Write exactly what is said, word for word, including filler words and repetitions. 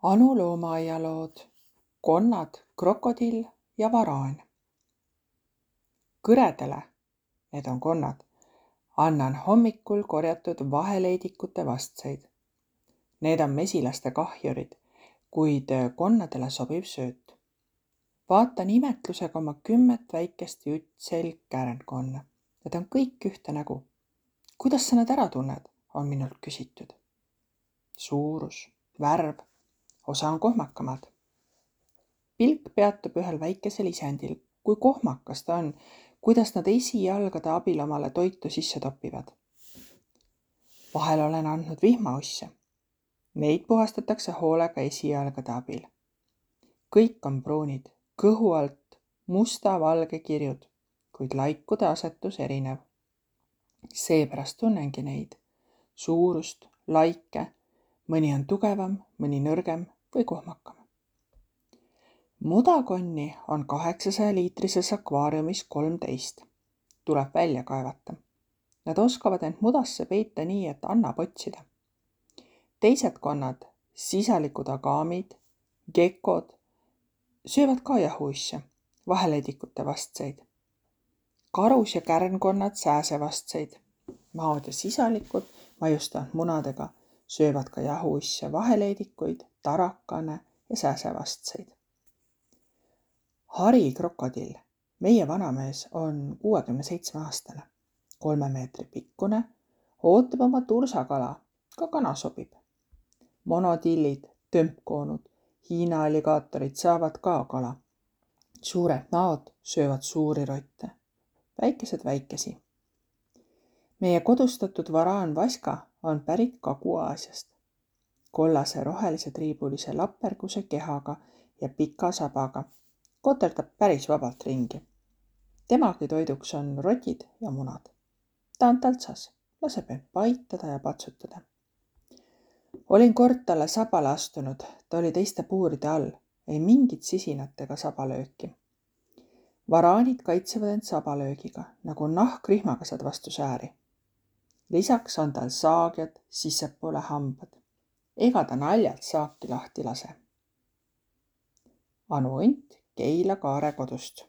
Anu loomaaialood, konnad, krokodill ja varaan. Kõredele, need on konnad, annan hommikul korjatud vaheleidikute vastseid. Need on mesilaste kahjurid, kuid konnadele sobiv sööt. Vaatan imetlusega oma kümmet väikest juttselg kärnkonna. Need on kõik ühte nägu. Kuidas sa nad ära tunned, on minult küsitud. Suurus, värv, osa on kohmakamad. Pilk peatub ühel väikesel isendil, kui kohmakas ta on, kuidas nad esijalgade abil omale toitu sisse topivad. Vahel olen andnud vihmausse. Neid puhastatakse hoolega esijalgade abil. Kõik on pruunid, kõhu alt musta-valge kirjud, kuid laikude asetus erinev. Seepärast tunnengi neid, suurust, laike, mõni on tugevam, mõni nõrgem või kohmakam. Mudakonni on kaheksasaja liitrises akvaariumis kolmteist. Tuleb välja kaevata. Nad oskavad end mudasse peita nii, et annab otsida. Teised konnad, sisalikud agaamid, gekod, söövad ka jahuisse, vaheleidikute vastseid. Karus ja kärnkonnad sääsevastseid. Maod ja sisalikud, maiustavad munadega, söövad ka jahuisse vaheleidikuid, tarakane ja sääsevastseid. Hari krokodill, meie vanamees, on kuuekümne seitsme aastane, kolme meetri pikkune, ootab oma tursakala, ka kana sobib. Monotillid, tömpkoonud, Hiina alligaatorid saavad ka kala. Suured maod söövad suuri rotte, väikesed väikesi. Meie kodustatud varaan Vaska on pärit Kagu-Aasiast. Kollase rohelise triibulise laperguse kehaga ja pika sabaga. Koterdab päris vabalt ringi. Temagi toiduks on rotid ja munad. Ta on taltsas, laseb end paitada ja patsutada. Olin kord talle sabale astunud, ta oli teiste puuride all, ei mingit sisinat ega sabalööki. Varaanid kaitsevad end sabalöögiga, nagu nahkrihmakasad vastu sääri. Lisaks on tal saagjad sissepoole hambad. Ega ta naljalt saaki lahti lase. Anu Unt Keila Kaare kodust.